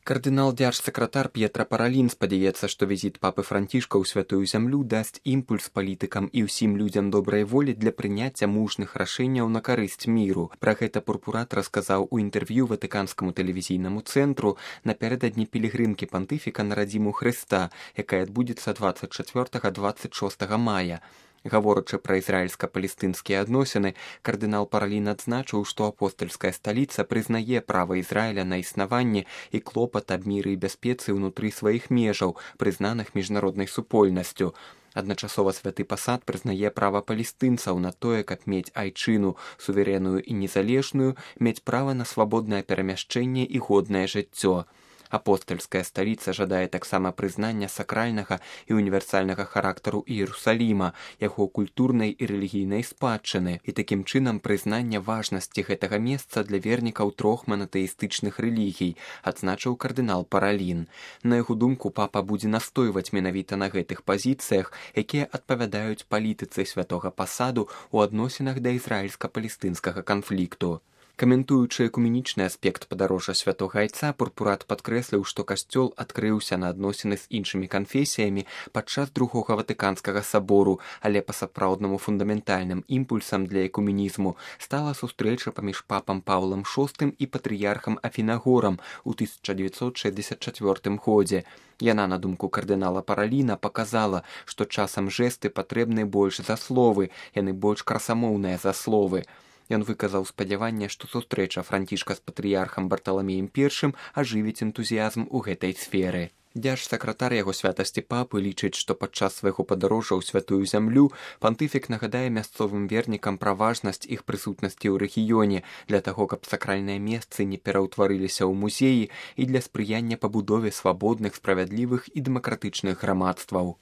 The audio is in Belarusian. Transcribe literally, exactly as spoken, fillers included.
Кардынал дзяржсакратар П'етра Паралін спадзяецца, што візіт папы Францішка ў святую зямлю дасць імпульс палітыкам і ўсім людзям добрай волі для прыняцця мужных рашэнняў на карысць міру. Пра гэта пурпурат расказаў у інтэрв'ю ватыканскаму тэлевізійнаму цэнтру напярэдадні пілігрымкі пантыфіка на радзіму Хрыста, якая адбудзецца дваццаць чацвёртага - дваццаць шостага мая. Гаворачы пра ізраільска-палестынскія адносіны, кардынал Паралін адзначыў, што апостальская сталіца прызнае права Ізраіля на існаванне і клопат аб міры і бяспецы ўнутры сваіх межаў, прызнаных міжнароднай супольнасцю. Адначасова святы пасад прызнае права палестынцаў на тое, каб мець айчыну, суверенную і незалежную, мець права на свабоднае перамяшчэнне і годнае жыццё. Апостальская сталіца жадае таксама прызнання сакральнага і універсальнага характару Іерусаліма, яго культурнай і рэлігійнай спадчыны, і такім чынам прызнання важнасці гэтага месца для вернікаў трох манатэістычных рэлігій, адзначыў кардынал Паралін. На яго думку, папа будзе настойваць менавіта на гэтых пазіцыях, якія адпавядаюць палітыцы святога пасаду ў адносінах да ізраільска-палестынскага канфлікту. Каментуючы экуменічны аспект падарожжа святога айца, пурпурат падкрэсліў, што касцёл адкрыўся на адносіны з іншымі канфесіямі падчас другога ватыканскага сабору, але па-сапраўднаму фундаментальным імпульсам для экуменізму стала сустрэча паміж папам Паўлам шостым і патрыярхам Афінагорам у тысяча дзевяцьсот шэсцьдзесят чацвёртым годзе. Яна, на думку кардынала Параліна, паказала, што часам жэсты патрэбны больш за словы, яны больш красамоўныя за словы. Ён выказаў спадзяванне, што сустрэча Францішка з патрыярхам Барталамеем першым ажывіць энтузіязм у гэтай сферы. Дзяржсакратар яго святасці папы лічыць, што падчас свайго падарожжа ў святую зямлю пантыфік нагадае мясцовым вернікам пра важнасць іх прысутнасці ў рэгіёне для таго, каб сакральныя месцы не пераўтварыліся ў музеі і для спрыяння пабудове свабодных, справядлівых і дэмакратычных грамадстваў.